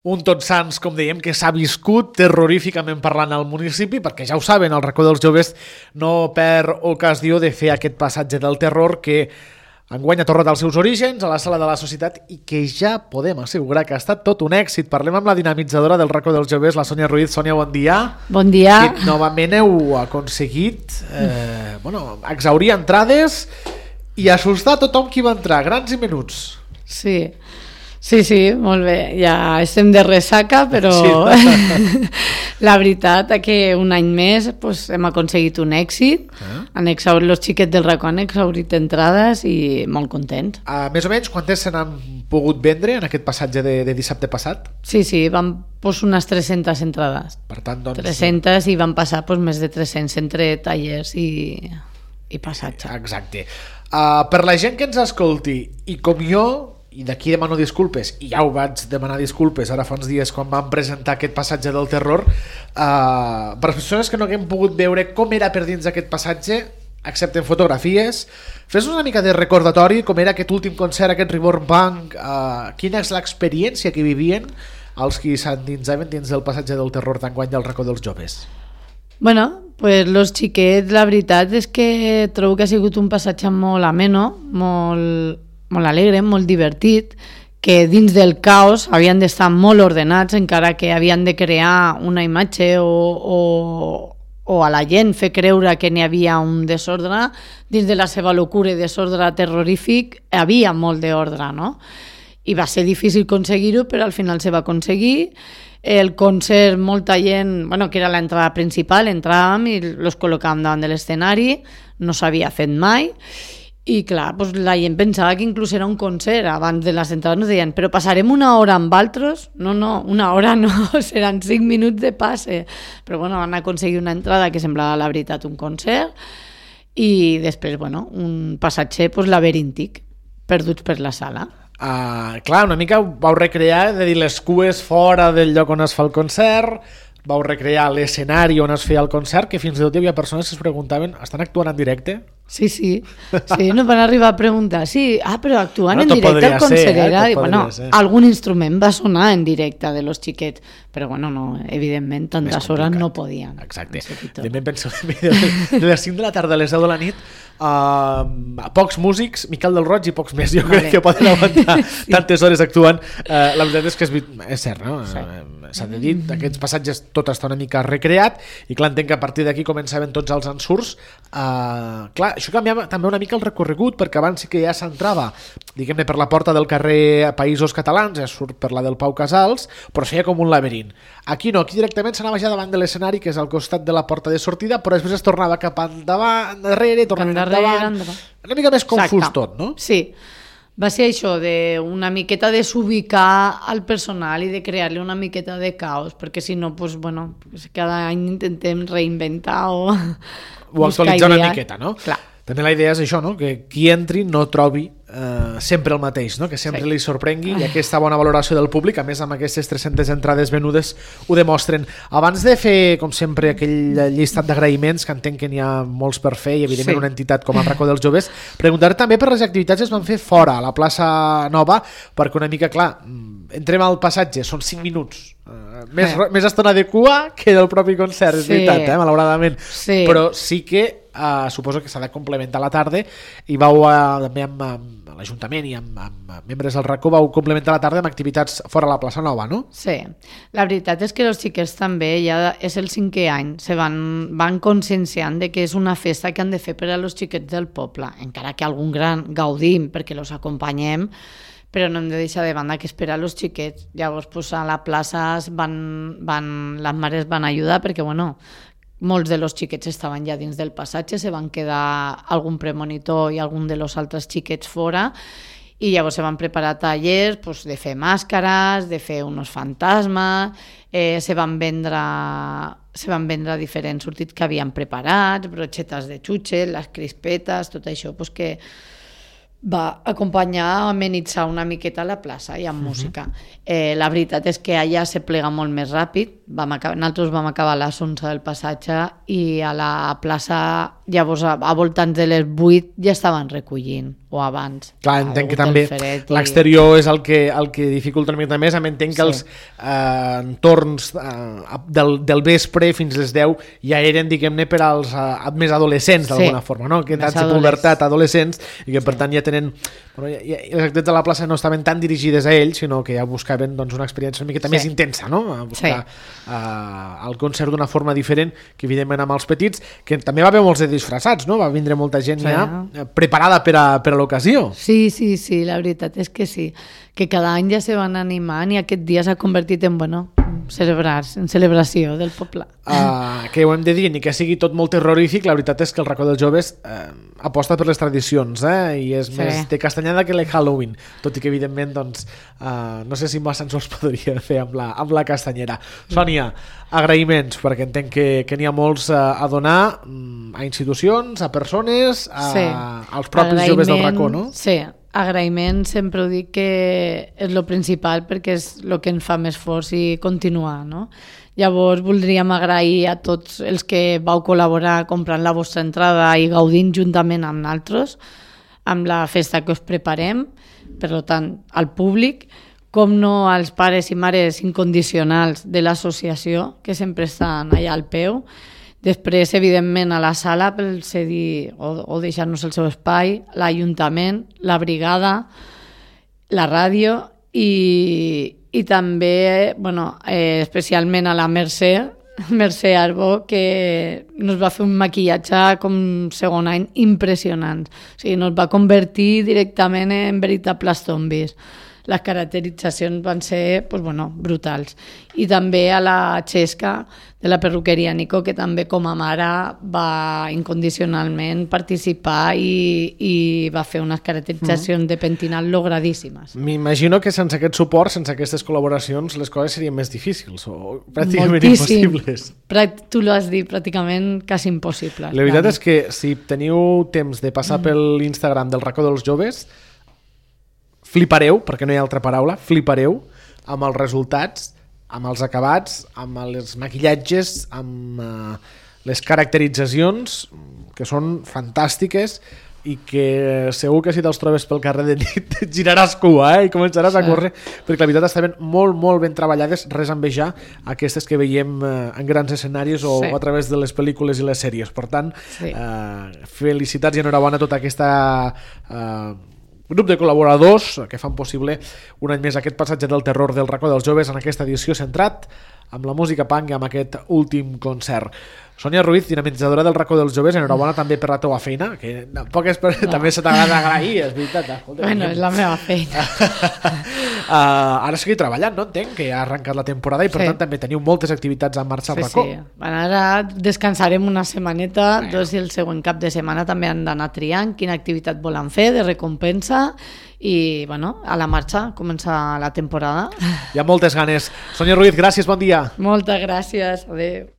Un Tots Sants, com dèiem, que s'ha viscut terroríficament parlant al municipi, perquè ja ho saben, el racó dels joves no perd ocasió de fer aquest passatge del terror que enguany ha tornat als seus orígens, a la sala de la societat, i que ja podem assegurar que ha estat tot un èxit. Parlem amb la dinamitzadora del racó dels joves, la Sònia Ruiz. Sònia, bon dia. Bon dia. Que novament heu aconseguit exhaurir entrades i assustar tothom qui va entrar, grans i menuts. Sí, molt bé, ja estem de ressaca, però la veritat és que un any més hem aconseguit un èxit, han exhaurit, els xiquets del racó han exhaurit entrades i molt contents. Més o menys, quantes se n'han pogut vendre en aquest passatge de dissabte passat? Sí, vam unes 300 entrades. Per tant, doncs... 300 i van passar més de 300 entre tallers i passatge. Exacte. Per la gent que ens escolti, i com jo, i d'aquí demano disculpes, i ja ho vaig demanar disculpes ara fa uns dies quan vam presentar aquest passatge del terror, per les persones que no haguem pogut veure com era per dins aquest passatge, excepte en fotografies, fes-nos una mica de recordatori com era aquest últim concert, aquest Reborn Punk, quina és l'experiència que vivien els qui s'endinsaven dins del passatge del terror d'enguany del racó dels joves. Los xiquets, la veritat és que trobo que ha sigut un passatge molt ameno, molt alegre, molt divertit, que dins del caos havien d'estar molt ordenats, encara que havien de crear una imatge o a la gent fer creure que n'hi havia un desordre. Dins de la seva locura i desordre terrorífic hi havia molt d'ordre, no? I va ser difícil aconseguir-ho, però al final se va aconseguir. El concert, molta gent, que era l'entrada principal, entràvem i els col·locàvem davant de l'escenari, no s'havia fet mai. I clar, la gent pensava que inclús era un concert. Abans de les entrades nos deien, però passarem una hora amb altres? No, una hora no, seran 5 minuts de passe. Però van aconseguir una entrada que semblava la veritat un concert i després, un passatge laberíntic, perduts per la sala. Clar, una mica vau recrear, de dir, les cues fora del lloc on es fa el concert, vau recrear l'escenari on es feia el concert, que fins i tot hi havia persones que es preguntaven, estan actuant en directe? Sí, nos van arribar a preguntar, però actuant en directe al concert era... Algun instrument va sonar en directe de los xiquets, però no, evidentment tantes hores no podien. Exacte, també penso de les 5 de la tarda a les 10 de la nit pocs músics, Miquel del Roig i pocs més, jo crec que poden aguantar tantes hores actuant. La veritat és que és cert, no? S'ha de dir, aquests passatges tot està una mica recreat i clar, entenc que a partir d'aquí començaven tots els ensurts. Clar, això canviava també una mica el recorregut, perquè abans sí que ja s'entrava, diguem-ne, per la porta del carrer Països Catalans, ja surt per la del Pau Casals, però es feia com un laberint. Aquí no, aquí directament s'anava ja davant de l'escenari, que és al costat de la porta de sortida, però després es tornava cap endavant, endarrere, tornava endavant. Una mica més confús tot, no? Sí, va ser això, una miqueta de desubicar al personal i de crear-li una miqueta de caos, perquè si no, cada any intentem reinventar o actualitzar una miqueta, no? Clar. També la idea és això, no? Que qui entri no trobi sempre el mateix, no? Que sempre li sorprengui, i aquesta bona valoració del públic, a més amb aquestes 300 entrades venudes, ho demostren. Abans de fer, com sempre, aquell llistat d'agraïments, que entenc que n'hi ha molts per fer, i evidentment una entitat com el Racó dels Joves, preguntar també per les activitats que es van fer fora, a la plaça Nova, perquè una mica, clar, entrem al passatge, són 5 minuts, més estona de cua que del propi concert, és veritat, malauradament, però sí que suposo que s'ha de complementar la tarda, i vau també amb l'Ajuntament i amb membres del RACO vau complementar la tarda amb activitats fora a la plaça Nova, no? Sí, la veritat és que els xiquets també, ja és el 5è any, se van conscienciant de que és una festa que han de fer per a los xiquets del poble, encara que algun gran gaudim perquè los acompanyem, però no hem de deixar de banda que esperar els xiquets. Llavors a la plaça les mares van ajudar perquè molts de los xiquets estaven ja dins del passatge, se van quedar algun premonitor i algun de los altres xiquets fora, i llavors se van preparar tallers de fer màscares, de fer uns fantasmes, se van vendre diferents sortits que havien preparat, broxetes de xutxes, les crispetes, tot això que va acompanyar a amenitzar una miqueta la plaça i amb música. La veritat és que allà se plega molt més ràpid. Nosaltres vam acabar a les 11 del passatge i a la plaça Llavors, a voltants de les 8 ja estaven recollint, o abans. Clar, entenc que també l'exterior és el que dificulta una mica més. Entenc que els entorns del vespre fins les 10 ja eren, diguem-ne, per als més adolescents, d'alguna forma, no? Que edat de pubertat, adolescents, i que per tant ja tenen... Les activitats de la plaça no estaven tan dirigides a ells, sinó que ja buscaven una experiència una miqueta més intensa, no? A buscar el concert d'una forma diferent, que evidentment amb els petits, que també va haver molts de disfressats, no? Va vindre molta gent ja preparada per a l'ocasió. Sí, la veritat és que sí, que cada any ja se van animant i aquest dia s'ha convertit en, en celebració del poble. Que ho hem de dir, ni que sigui tot molt terrorífic, la veritat és que el Racó dels Joves aposta per les tradicions, i és més de castanyada que el Halloween, tot i que evidentment no sé si massa ens els podria fer amb la castanyera. Sònia, agraïments, perquè entenc que n'hi ha molts a donar a institucions, a persones, als propis joves del Racó, no? Sí, agraïment, sempre ho dic que és lo principal perquè és el que ens fa més forts i continuar, no? Llavors voldríem agrair a tots els que vau col·laborar comprant la vostra entrada i gaudint juntament amb nosaltres amb la festa que us preparem, per tant al públic, com no als pares i mares incondicionals de l'associació que sempre estan allà al peu. Després, evidentment, a la sala pel cedir o deixar-nos el seu espai, l'Ajuntament, la brigada, la ràdio i també, especialment a la Mercè Arbó, que nos va fer un maquillatge com segon any impressionant. O sigui, nos va convertir directament en veritables zombis. Les caracteritzacions van ser brutals. I també a la Xesca de la perruqueria Nico, que també com a mare va incondicionalment participar i va fer unes caracteritzacions de pentinat logradíssimes. M'imagino que sense aquest suport, sense aquestes col·laboracions, les coses serien més difícils o pràcticament impossibles. Tu l'has dit, pràcticament quasi impossible. La veritat és que si teniu temps de passar per l'Instagram del Racó dels Joves, flipareu, perquè no hi ha altra paraula, flipareu amb els resultats, amb els acabats, amb els maquillatges, amb les caracteritzacions, que són fantàstiques i que segur que si te'ls trobes pel carrer de nit et giraràs cua i començaràs a córrer, perquè la veritat estaven molt, molt ben treballades, res a envejar aquestes que veiem en grans escenaris o a través de les pel·lícules i les sèries. Per tant, felicitats i enhorabona a tota aquesta grup de col·laboradors que fan possible un any més aquest passatge del terror del Racó dels Joves en aquesta edició centrat amb la música punk i amb aquest últim concert. Sònia Ruiz, dinamitzadora del Racó dels Joves, enhorabona també per la teva feina, que també se t'agrada agrair, és veritat. És la meva feina. Ara seguir treballant, no? Entenc que ha arrencat la temporada i per tant també teniu moltes activitats en marxa al Racó. Ara descansarem una setmaneta, i el següent cap de setmana també han d'anar triant quina activitat volen fer de recompensa i a la marxa comença la temporada. Hi ha moltes ganes. Sònia Ruiz, gràcies, bon dia. Moltes gràcies, adeu.